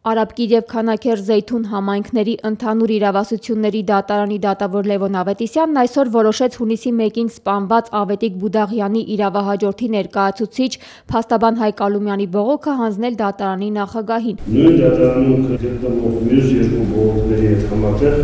Արաբկիր և Քանաքեռ Զեյթուն համայնքների ընդհանուր իրավասությունների դատարանի դատավոր Լևոն Ավետիսյանն այսօր որոշեց հունիսի 1-ին սպանված Ավետիք Բուդաղյանի իրավահաջորդի ներկայացուցիչ փաստաբան Հայկ Ալումյանի բողոքը հանձնել դատարանի նախագահին։ Նույն դատարանում գտնվող մյուս երկու բողոքների հետ համատեղ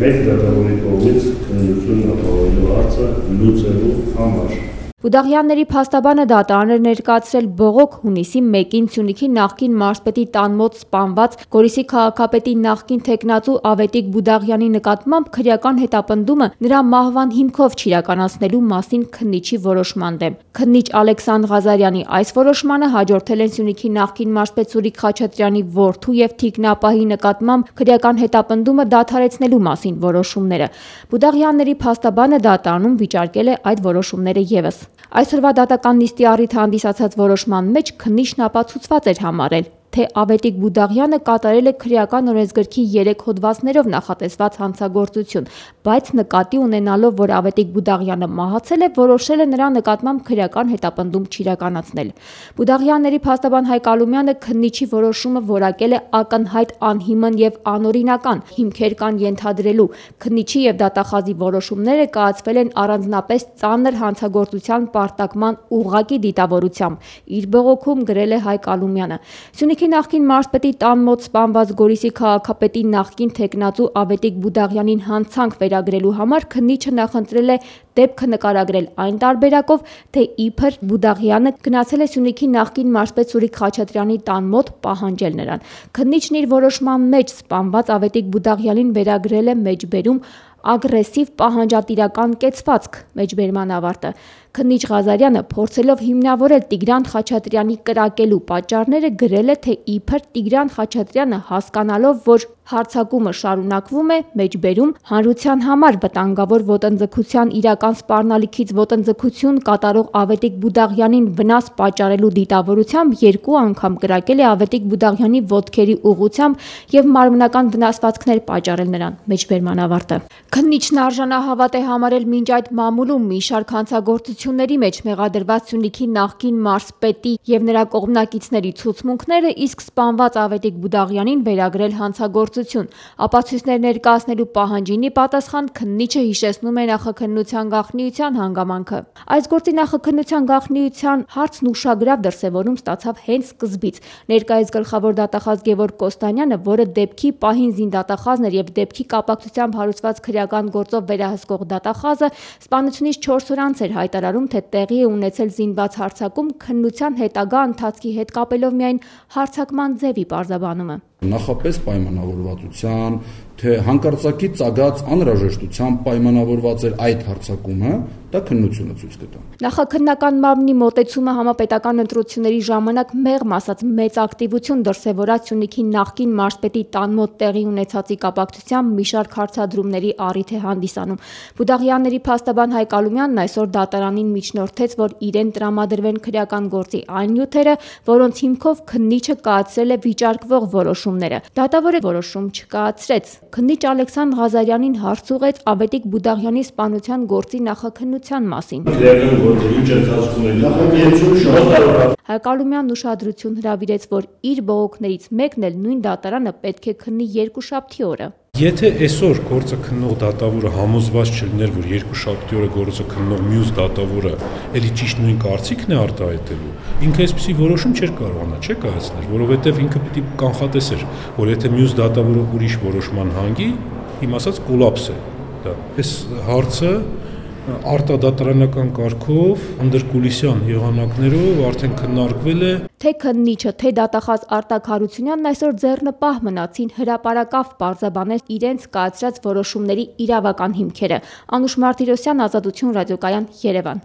մեկ դատավորի կողմից քննություն ապահովելու հարցը լուծելու համար։ Բուդաղյանների փաստաբանը դատարան էր ներկայացրել բողոք հունիսի 1-ին Սյունիքի նախկին մարզպետի տան մոտ սպանված Գորիսի քաղաքապետի նախկին թեկնածու Ավետիք Բուդաղյանի նկատմամբ քրեական հետապնդումը նրա մահվան հիմքով չիրականացնելու մասին քննիչի որոշման դեմ։ Քննիչ Ալեքսանդր Ղազարյանի այս որոշմանը հաջորդել են Սյունիքի նախկին մարզպետ Սուրիկ Խաչատրյանի որդու և թիկնապահի նկատմամբ քրեական հետապնդումը դադարեցնելու մասին որոշումները։ Բուդաղյանների փաստաբանը դատարանում վիճարկել է այդ որոշումները ևս։ Այսօրվա դատական նիստի առիթ հանդիսացած որոշման մեջ քննիչն ապացուցված էր համարել, թե Ավետիք Բուդաղյանը կատարել է քրեական օրենսգրքի 3 հոդվածներով նախատեսված հանցագործություն, բայց նկատի ունենալով, որ Ավետիք Բուդաղյանը մահացել է, որոշել է նրա նկատմամբ քրեական հետապնդում չիրականացնել։ Բուդաղյանների փաստաբան Հայկ Ալումյանը քննիչի որոշումը որակել է ակնհայտ անհիմն և անօրինական, հիմքեր կան ենթադրելու։ Քննիչի և դատախազի որոշումները կայացվել են առանձնապես ծանր հանցագործության պարտակման ուղղակի դիտավորությամբ, իր բողոքում գրել է Հայկ Ալումյանը։ Սյունիքի նախկին մարզպետի տան մոտ սպանված Գորիսի քաղաքապետի նախկին թեկնածու Ավետիք Բուդաղյանին հանցանք վերագրելու համար քննիչը նախընտրել է դեպքը նկարագրել այն տարբերակով, թե իբր Բուդաղյանը գնացել է Սյունիքի նախկին մարզպետ Սուրիկ Խաչատրյանի տան մոտ պահանջել նրան։ Քննիչն իր որոշման մեջ սպանված Ավետիք Բուդաղյանին վերագրել է մեջբերում ագրեսիվ պահանջատիրական կեցվածք մեջբերման ավարտը։ Քննիչ Ղազարյանը փորձելով հիմնավորել Տիգրան Խաչատրյանի կրակելու պատճառները գրել է, թե իբր Տիգրան Խաչատրյանը հասկանալով, որ հարձակումը շարունակվում է, մեջբերում հանրության համար վտանգավոր ոտնձգության իրական սպառնալիքից ոտնձգություն կատարող Ավետիք Բուդաղյանին վնաս պատճառելու դիտավորությամբ 2 անգամ կրակել է Ավետիք Բուդաղյանի ոտքերի ուղղությամբ և մարմնական վնասվածքներ պատճառել նրան մեջբերման ավարտը։ Քննիչն արժանահավատ է համարել մինչ այդ մամուլում մի շարք հանցագործությունների մեջ մեղադրված Սյունիքի նախկին մարզպետի և նրա կողմնակիցների ցուցմունքները, իսկ սպանված Ավետիք Բուդաղյանին վերագրել հանցագործություն։ Ապացույցներ ներկայացնելու պահանջին ի պատասխան քննիչը հիշեցնում է նախաքննության գաղտնիության հանգամանքը։ Այս գործի նախաքննության գաղտնիության հարցն ուշագրավ դրսևորում ստացավ հենց սկզբից։ Ներկայիս գլխավոր դատախազ Գևորգ Կոստանյանը, որը դեպքի պահին զինդատախազն էր և դեպքի կապակցությամբ հարուցված քրեական գործով վերահսկող դատախազը, սպանությունից 4 օր անց էր հայտարարում, թե տեղի է ունեցել զինված հարձակում, քննության հետագա ընթացքի հետ կապելով միայն հարձակման ձևի պարզաբանումը։ Նախապես պայմանավորվածության, թե հանկարծակի ծագած անհրաժեշտությամբ պայմանավորված էր այդ հարձակումը, դա քննությունը ցույց կտա։ Նախաքննական մարմնի մոտեցումը համապետական ընտրությունների ժամանակ մեղմ ասած մեծ ակտիվություն դրսևորած Սյունիքի նախկին մարզպետի տան մոտ տեղի ունեցածի կապակցությամբ մի շարք հարցադրումների առիթ է հանդիսանում։ Բուդաղյանների փաստաբան Հայկ Ալումյանն այսօր դատարանին միջնորդեց, որ իրեն տրամադրվեն քրեական գործի այն նյութերը, որոնց հիմքով քննիչը կայացրել է վիճարկվող որոշումները։ Դատավորը որոշում չկայացրեց։ Քննիչ Ալեքսանդր Ղազարյանին հարց ուղղեց Ավետիք Բուդաղյանի սպանության գործի նախաքննության մասին։ Հայկ Ալումյանն ուշադրություն հրավիրեց, որ իր բողոքներից մեկն էլ նույն դատարանը պետք է քննի երկուշաբթի օրը։ Եթե այսօր գործը քննող դատավորը համոզված չլիներ, որ երկուշաբթի օրը գործը քննող մյուս դատավորը էլի ճիշտ նույն կարծիքն է արտահայտելու, ինքը այսպիսի որոշում չէր կարողանա կայացնել, որովհետև ինքը պիտի կանխատեսեր, որ եթե մյուս դատավորը ուրիշ որոշման հանգի, իմ ասած կոլապս է դա։ Այս հարցը արտադատարանական կարգով անդրկուլիսյան եղանակներով արդեն քննարկվել է։ Թե քննիչը, թե դատախազ Արտակ Հարությունյանն այսօր ձեռնպահ մնացին հրապարակավ պարզաբանել իրենց կայացրած որոշումների իրավական հիմքերը։ Անուշ Մարտիրոսյան, Ազատություն ռադիոկայան, Երևան։